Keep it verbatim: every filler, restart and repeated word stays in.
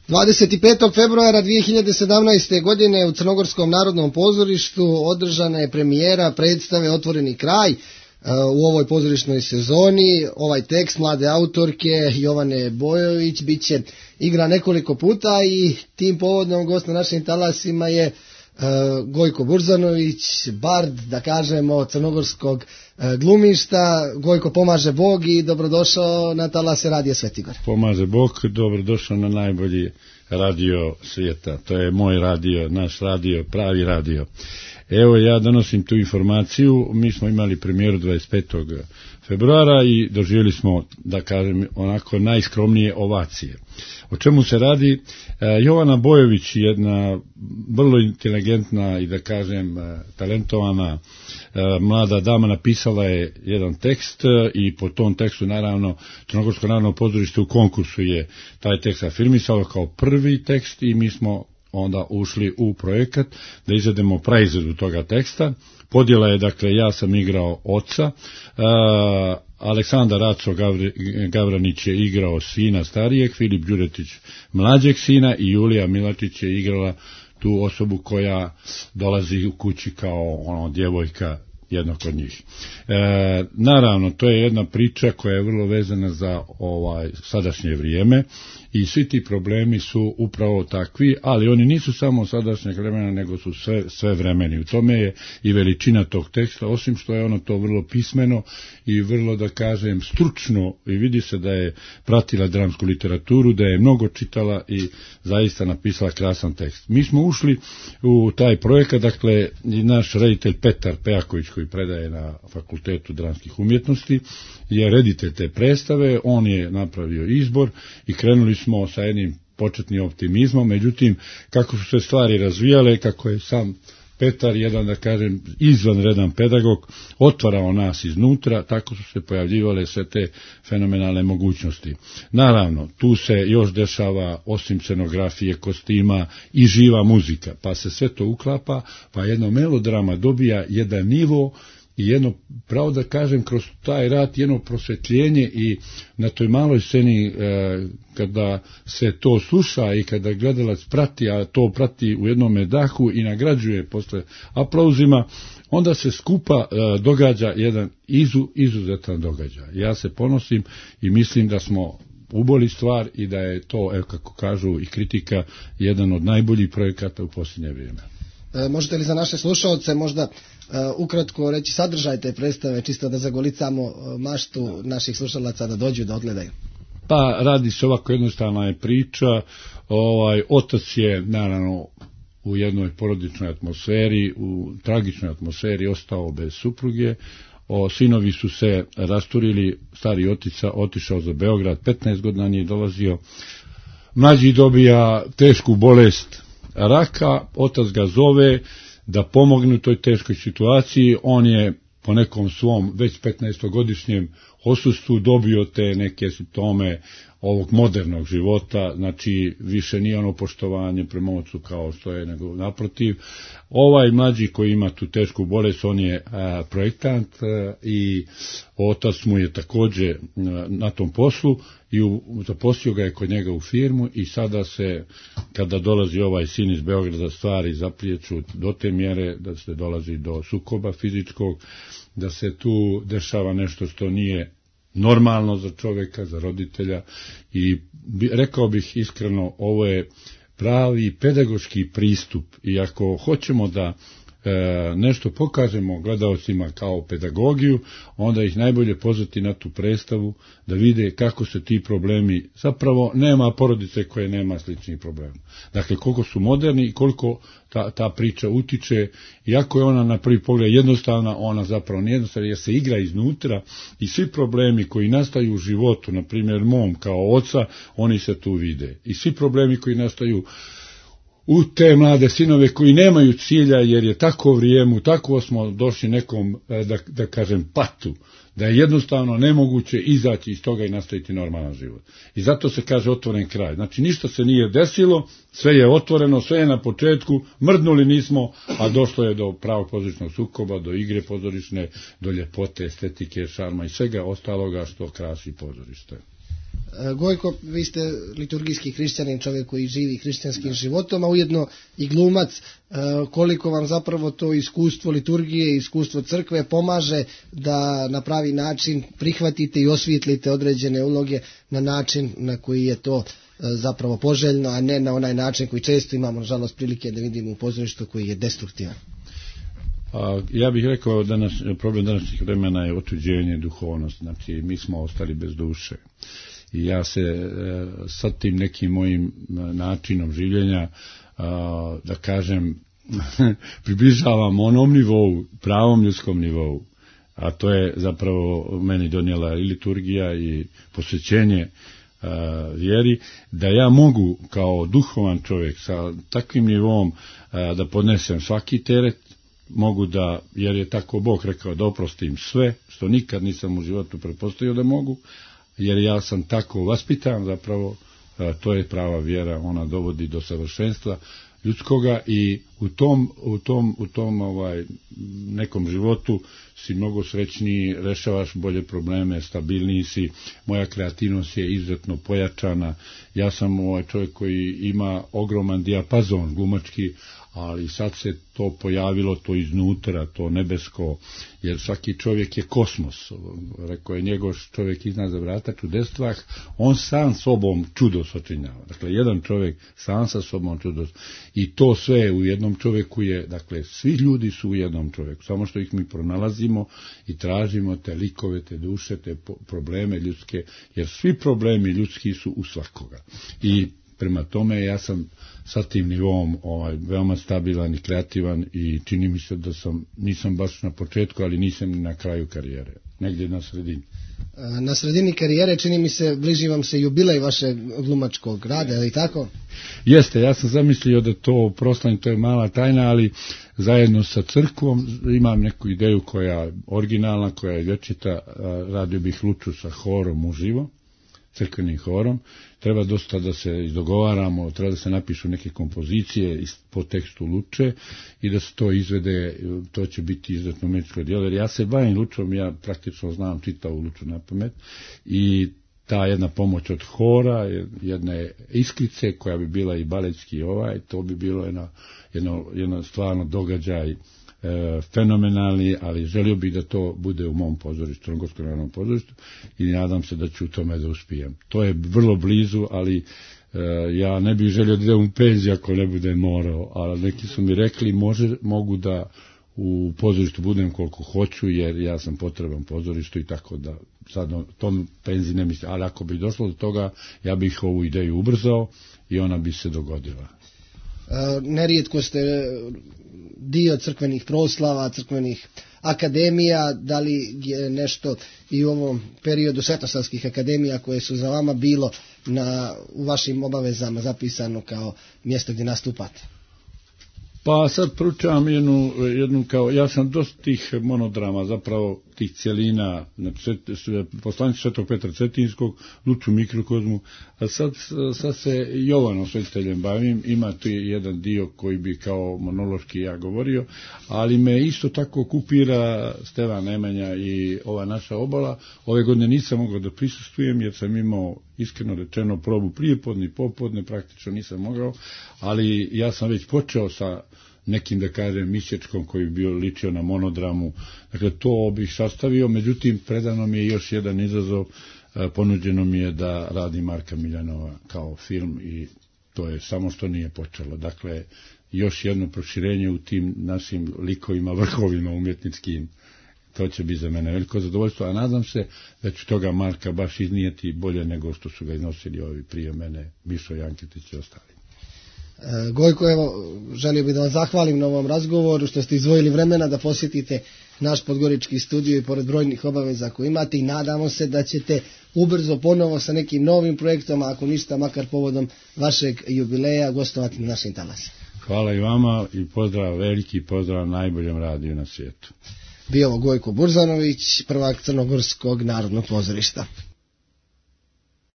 dvadeset petog februara dvije hiljade sedamnaeste. godine u Crnogorskom narodnom pozorištu održana je premijera predstave Otvoreni kraj u ovoj pozorišnoj sezoni. Ovaj tekst mlade autorke Jovane Bojović bit će igra nekoliko puta i tim povodom gost na našim talasima je Gojko Burzanović, bard, da kažemo, crnogorskog glumišta. Gojko, pomaže Bog i dobrodošao na talase Radija Svetigor. Pomaže Bog, dobrodošao na najbolji radio svijeta. To je moj radio, naš radio, pravi radio. Evo, ja donosim tu informaciju. Mi smo imali premijeru dvadeset petog februara i doživjeli smo, da kažem, onako najskromnije ovacije. O čemu se radi? Jovana Bojović, jedna vrlo inteligentna i, da kažem, talentovana mlada dama, napisala je jedan tekst i po tom tekstu, naravno, Crnogorsko narodno pozorište u konkursu je taj tekst afirmisalo kao prvi tekst i mi smo onda ušli u projekat da izvedemo praizvedu toga teksta. Podjela je, dakle, ja sam igrao oca, uh, Aleksandar Raco Gavri, Gavranić je igrao sina starijeg, Filip Đuretić mlađeg sina i Julija Milatić je igrala tu osobu koja dolazi u kući kao ono djevojka jednog od njih. E, naravno, to je jedna priča koja je vrlo vezana za ovaj sadašnje vrijeme i svi ti problemi su upravo takvi, ali oni nisu samo sadašnjeg vremena, nego su sve, sve vremeni. U tome je i veličina tog teksta, osim što je ono to vrlo pismeno i vrlo, da kažem, stručno, i vidi se da je pratila dramsku literaturu, da je mnogo čitala i zaista napisala krasan tekst. Mi smo ušli u taj projekat, dakle, i naš reditelj Petar Pejaković, koji predaje na Fakultetu dramskih umjetnosti, je reditelj te predstave, on je napravio izbor i krenuli smo sa jednim početnim optimizmom, međutim, kako su se stvari razvijale, kako je sam Petar, jedan, da kažem, izvanredan pedagog, otvarao nas iznutra, tako su se pojavljivale sve te fenomenalne mogućnosti. Naravno, tu se još dešava, osim scenografije, kostima, i živa muzika, pa se sve to uklapa, pa jedno melodrama dobija jedan nivo i jedno, pravo da kažem, kroz taj rad jedno prosvjetljenje i na toj maloj sceni e, kada se to sluša i kada gledalac prati, a to prati u jednom dahu i nagrađuje posle aplauzima, onda se skupa e, događa jedan izu, izuzetan događaj. Ja se ponosim i mislim da smo uboli stvar i da je to, evo kako kažu i kritika, jedan od najboljih projekata u posljednje vrijeme. E, možete li za naše slušalce možda uh, ukratko reći sadržaj te predstave, čisto da zagolicamo uh, maštu naših slušalaca da dođu da odgledaju? Pa radi se ovako, jednostavna je priča. Ovaj otac je, naravno, u jednoj porodičnoj atmosferi, u tragičnoj atmosferi ostao bez supruge. O, sinovi su se rasturili, stari otica otišao za Beograd, petnaest godina nije dolazio. Mlađi dobija tešku bolest raka, otac ga zove da pomogne u toj teškoj situaciji. On je po nekom svom već petnaestogodišnjem osustvu dobio te neke simptome ovog modernog života, znači više nije ono poštovanje prema ocu kao što je, nego naprotiv. Ovaj mlađi koji ima tu tešku bolest, on je a, projektant a, i otac mu je također a, na tom poslu i u, zaposlio ga je kod njega u firmu i sada se, kada dolazi ovaj sin iz Beograda, stvari zaprijeću do te mjere da se dolazi do sukoba fizičkog, da se tu dešava nešto što nije normalno za čovjeka, za roditelja i bi, rekao bih iskreno, ovo je pravi pedagoški pristup i ako hoćemo da e, nešto pokažemo gledaocima kao pedagogiju, onda ih najbolje pozvati na tu predstavu da vide kako se ti problemi, zapravo nema porodice koje nema sličnih problema. Dakle, koliko su moderni i koliko ta, ta priča utiče, iako je ona na prvi pogled jednostavna, ona zapravo nije jednostavna jer se igra iznutra i svi problemi koji nastaju u životu, na primjer mom kao oca, oni se tu vide. I svi problemi koji nastaju u te mlade sinove koji nemaju cilja jer je tako vrijeme, tako smo došli nekom, da, da kažem, patu, da je jednostavno nemoguće izaći iz toga i nastaviti normalan život. I zato se kaže otvoren kraj. Znači ništa se nije desilo, sve je otvoreno, sve je na početku, mrdnuli nismo, a došlo je do pravog pozorišnog sukoba, do igre pozorišne, do ljepote, estetike, šarma i svega ostaloga što krasi pozorište. Gojko, vi ste liturgijski hrišćanin, čovjek koji živi hrišćanskim životom, a ujedno i glumac. Koliko vam zapravo to iskustvo liturgije, iskustvo crkve pomaže da na pravi način prihvatite i osvijetlite određene uloge na način na koji je to zapravo poželjno, a ne na onaj način koji često imamo, nažalost, prilike da vidimo u pozorištu koji je destruktivan. A, ja bih rekao da naš, problem današnjih vremena je otuđenje duhovnosti, znači mi smo ostali bez duše. I ja se e, sa tim nekim mojim načinom življenja, a, da kažem, približavam onom nivou, pravom ljudskom nivou, a to je zapravo meni donijela i liturgija i posvećenje a, vjeri, da ja mogu kao duhovan čovjek sa takvim nivom a, da podnesem svaki teret, mogu da, jer je tako Bog rekao, da oprostim sve, što nikad nisam u životu pretpostavio da mogu, jer ja sam tako vaspitan zapravo, to je prava vjera, ona dovodi do savršenstva ljudskoga i u tom, u tom, u tom ovaj, nekom životu si mnogo srećniji, rešavaš bolje probleme, stabilniji si, moja kreativnost je izuzetno pojačana, ja sam ovaj čovjek koji ima ogroman dijapazon glumački, ali sad se to pojavilo, to iznutra, to nebesko, jer svaki čovjek je kosmos, rekao je njegov čovjek iznad za vrata čudestvah, on sam sobom čudo sačinjava, dakle jedan čovjek sam sa sobom čudo, i to sve u jednom čovjeku je, dakle svi ljudi su u jednom čovjeku, samo što ih mi pronalazimo i tražimo te likove, te duše, te probleme ljudske, jer svi problemi ljudski su u svakoga. I prema tome ja sam sa tim nivom ovaj, veoma stabilan i kreativan i čini mi se da sam, nisam baš na početku, ali nisam ni na kraju karijere, negdje na sredini. Na sredini karijere, čini mi se, bliži vam se jubilej vašeg glumačkog rada, je li tako? Jeste, ja sam zamislio da to proslavim, to je mala tajna, ali zajedno sa crkvom imam neku ideju koja je originalna, koja je vječita, radio bih Luču sa horom uživo, crkvenim horom, treba dosta da se izdogovaramo, treba da se napišu neke kompozicije po tekstu Luče i da se to izvede, to će biti izuzetno umjetničko djelo, jer ja se bavim Lučom, ja praktično znam čitavu Luču na pamet i ta jedna pomoć od hora, jedne iskrice koja bi bila i baletski ovaj, to bi bilo jedno, jedno, jedno stvarno događaj E, fenomenalni, ali želio bih da to bude u mom pozorištu, Crnogorskom narodnom pozorištu i nadam se da ću u tome da uspijem. To je vrlo blizu, ali e, ja ne bih želio da idem u penziju ako ne bude morao, ali neki su mi rekli može, mogu da u pozorištu budem koliko hoću, jer ja sam potreban pozorištu i tako da sad o tom penziji ne mislim, ali ako bi došlo do toga, ja bih ovu ideju ubrzao i ona bi se dogodila. Nerijetko ste dio crkvenih proslava, crkvenih akademija, da li je nešto i u ovom periodu svetosavskih akademija koje su za vama bilo na, u vašim obavezama zapisano kao mjesto gdje nastupate? Pa sad proučavam jednu, jednu kao, ja sam dosta tih monodrama, zapravo tih cjelina, poslanicu Svetog Petra Cetinskog, Luču mikrokozmu, a sad, sad se Jovanom Svetiteljem bavim, ima tu jedan dio koji bi kao monološki ja govorio, ali me isto tako okupira Stevan Nemanja i ova naša obala. Ove godine nisam mogao da prisustvujem jer sam imao iskreno rečeno probu prijepodne i popodne, praktično nisam mogao, ali ja sam već počeo sa nekim, da kažem, misječkom koji bi bio ličio na monodramu. Dakle, to bih sastavio, međutim, predano mi je još jedan izazov, ponuđeno mi je da radi Marka Miljanova kao film i to je samo što nije počelo. Dakle, još jedno proširenje u tim našim likovima, vrhovima umjetničkim, to će biti za mene veliko zadovoljstvo, a nadam se da ću toga Marka baš iznijeti bolje nego što su ga iznosili ovi prije mene, Mišo Janketić i ostali. Gojko, evo, želio bih da vam zahvalim na ovom razgovoru, što ste izdvojili vremena da posjetite naš podgorički studio i pored brojnih obaveza koje imate i nadamo se da ćete ubrzo ponovo sa nekim novim projektom, a ako ništa, makar povodom vašeg jubileja, gostovati na našim talasima. Hvala i vama i pozdrav, veliki pozdrav najboljem radiju na svijetu. Bio ovo Gojko Burzanović, prvak Crnogorskog narodnog pozorišta.